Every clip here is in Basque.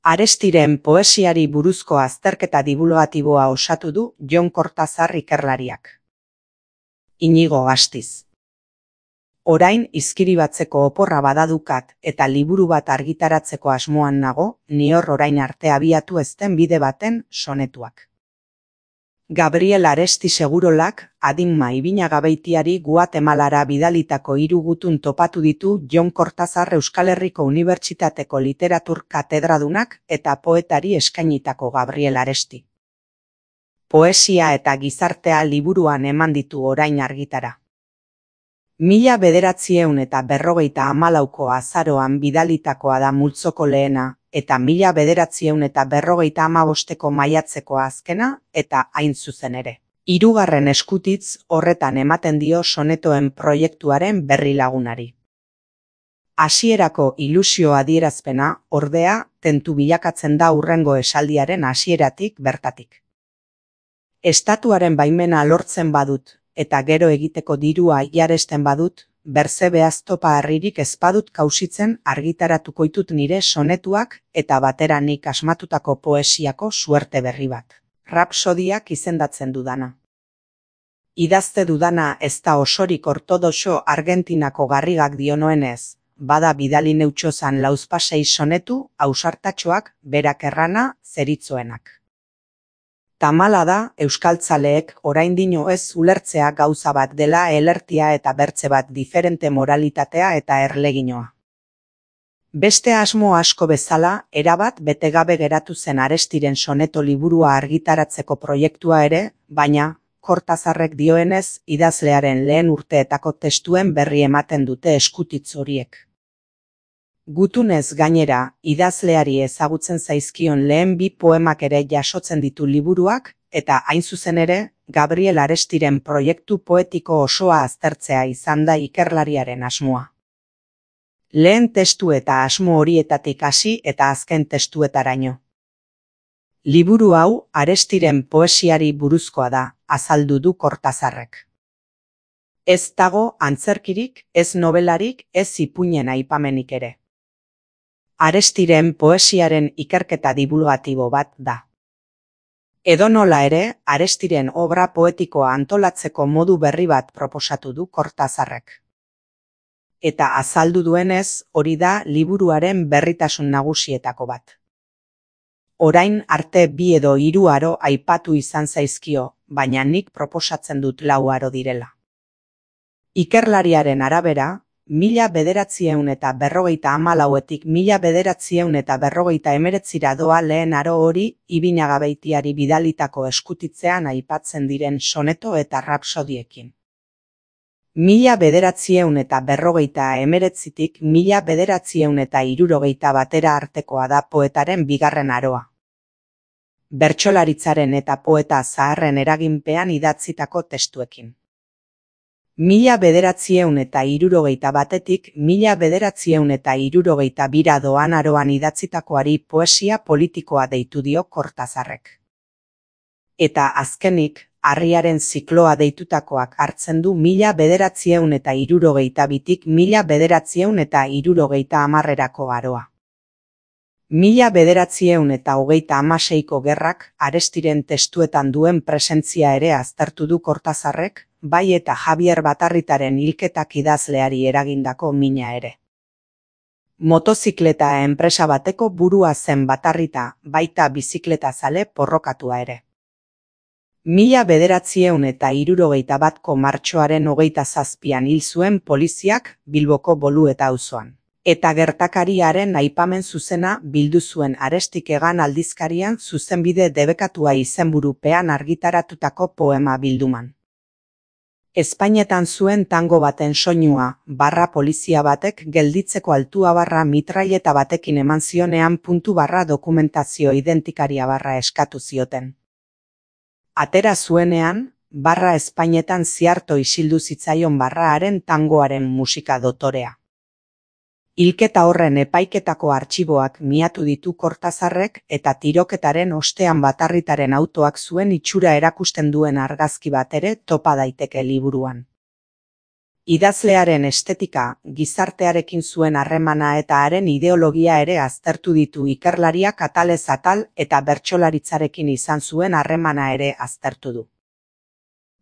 Arestiren poesiari buruzko azterketa divulgatiboa osatu du Jon Kortazar ikerlariak. Inigo Astiz. Orain izkiribatzeko oporra badadukat eta liburu bat argitaratzeko asmoan nago, nior orain arte abiatu ezten bide baten sonetuak. Gabriel Aresti Segurolak, adinma Ibinagabeitiari Guatemalara bidalitako 3 gutun topatu ditu Jon Kortazar Euskal Herriko Unibertsitateko literatur katedradunak eta poetari eskainitako Gabriel Aresti. Poesia eta gizartea liburuan eman ditu orain argitara. 1954ko azaroan bidalitakoa da multzoko lehena, eta 1955ko maiatzeko azkena, eta hain zuzen ere. 3. eskutitz horretan ematen dio sonetoen proiektuaren berri lagunari. Hasierako ilusio adierazpena, ordea, tentu bilakatzen da hurrengo esaldiaren hasieratik bertatik. Estatuaren baimena lortzen badut, eta gero egiteko dirua jaresten badut, berzebehaz topa harririk ezpadut kausitzen argitaratuko ditut nire sonetuak eta batera nik asmatutako poesiako suerte berri bat. Rapsodiak izendatzen dudana. Idazte dudana ez da osorik ortodoxo Argentinako garrigak dionoenez, bada bidali neutxozan lauzpasei sonetu, ausartatxoak, berak errana, zeritzoenak. Tamala da, euskaltzaleek oraindino ez ulertzea gauza bat dela elertia eta bertze bat diferente moralitatea eta erleginoa. Beste asmo asko bezala, erabat betegabe geratu zen Arestiren soneto liburua argitaratzeko proiektua ere, baina, Kortazarrek dioenez, idazlearen lehen urteetako testuen berri ematen dute eskutitz horiek. Gutunez gainera, idazleari ezagutzen zaizkion lehen 2 poemak ere jasotzen ditu liburuak, eta hain zuzen ere, Gabriel Arestiren proiektu poetiko osoa aztertzea izan da ikerlariaren asmoa. Lehen testu eta asmo horietatik hasi eta azken testuetaraino. Liburu hau Arestiren poesiari buruzkoa da, azaldu du Kortazarrek. Ez dago antzerkirik, ez nobelarik, ez ipuinen aipamenik ere. Arestiren poesiaren ikerketa divulgatibo bat da. Edonola ere, Arestiren obra poetikoa antolatzeko modu berri bat proposatu du Kortazarrek. Eta azaldu duenez, hori da liburuaren berritasun nagusietako bat. Orain arte 2 edo 3 aro aipatu izan zaizkio, baina nik proposatzen dut 4 aro direla. Ikerlariaren arabera, 1954etik 1959 doa lehen aro hori Ibinagabeitiari bidalitako eskutitzean aipatzen diren soneto eta rapsodiekin. 1959tik 1960 batera artekoa da poetaren 2. aroa. Bertsolaritzaren eta poeta zaharren eraginpean idatzitako testuekin. 1961etik 1962 doan aroan idatzitakoari poesia politikoa deitu dio Kortazarrek. Eta azkenik, Harriaren zikloa deitutakoak hartzen du 1962tik 1970erako aroa. 1936ko gerrak Arestiren testuetan duen presentzia ere aztertu du Kortazarrek, bai eta Javier Batarritaren hilketak idazleari eragindako mina ere. Motozikleta enpresa bateko burua zen Batarrita, baita bizikletazale porrokatua ere. 1961ko martxoaren 27an hil zuen poliziak Bilboko Bolueta auzoan. Eta gertakariaren aipamen zuzena bildu zuen Arestik Egan aldizkarian zuzenbide debekatua izenburupean argitaratutako poema bilduman. Espainetan zuen tango baten soinua, polizia batek gelditzeko altua mitraileta batekin eman zionean dokumentazio identikaria eskatu zioten. Atera zuenean, Espainetan ziarto isildu zitzaion haren tangoaren musika dotorea. Hilketa horren epaiketako artxiboak miatu ditu Kortazarrek eta tiroketaren ostean Batarritaren autoak zuen itxura erakusten duen argazki bat ere topa daiteke liburuan. Idazlearen estetika, gizartearekin zuen harremana eta haren ideologia ere aztertu ditu ikerlariak atalez atal eta bertsolaritzarekin izan zuen harremana ere aztertu du.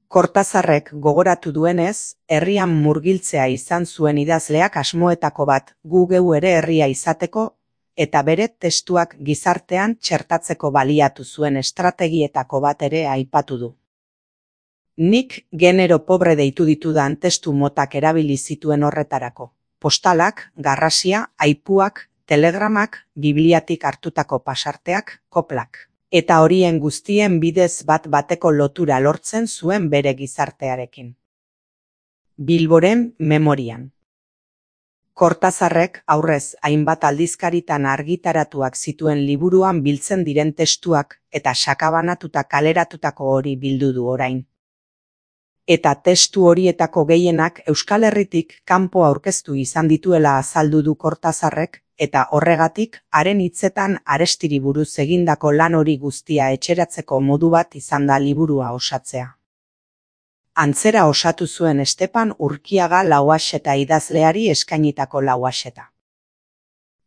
Cortázarrek gogoratu duenez, herrian murgiltzea izan zuen idazleak asmoetako bat gu geu ere herria izateko eta bere testuak gizartean txertatzeko baliatu zuen estrategietako bat ere aipatu du. Nik genero pobre deitu ditudan testu motak erabili zituen horretarako. Postalak, garrasia, aipuak, telegramak, bibliatik hartutako pasarteak, koplak. Eta horien guztien bidez bat bateko lotura lortzen zuen bere gizartearekin. Bilboren memorian. Cortázarrek aurrez hainbat aldizkaritan argitaratuak zituen liburuan biltzen diren testuak eta sakabanatuta kaleratutako hori bildu du orain. Eta testu horietako gehienak Euskal Herritik kanpo aurkeztu izan dituela azaldu du Cortázarrek, eta horregatik haren hitzetan Arestiri buruz egindako lan hori guztia etxeratzeko modu bat izan da liburua osatzea. Antzera osatu zuen Estepan Urkiaga Lauaxeta idazleari eskainitako Lauaxeta.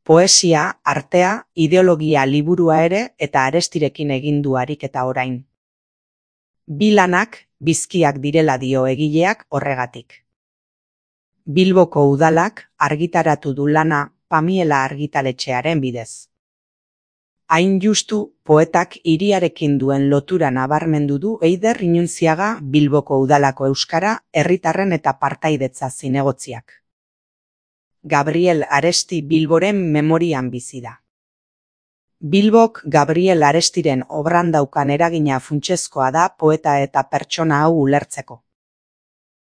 Poesia, artea, ideologia liburua ere eta Arestirekin egin du ariketa orain. Bi lanak bizkiak direla dio egileak horregatik. Bilboko udalak argitaratu du lana Pamiela argitaletxearen bidez. Hain justu, poetak hiriarekin duen lotura nabarmendu du Eider Inuntziaga Bilboko udalako euskara, herritarren eta partaidetza zinegotziak. Gabriel Aresti Bilboren memorian bizi da. Bilbok Gabriel Arestiren obran daukan eragina funtsezkoa da poeta eta pertsona hau ulertzeko.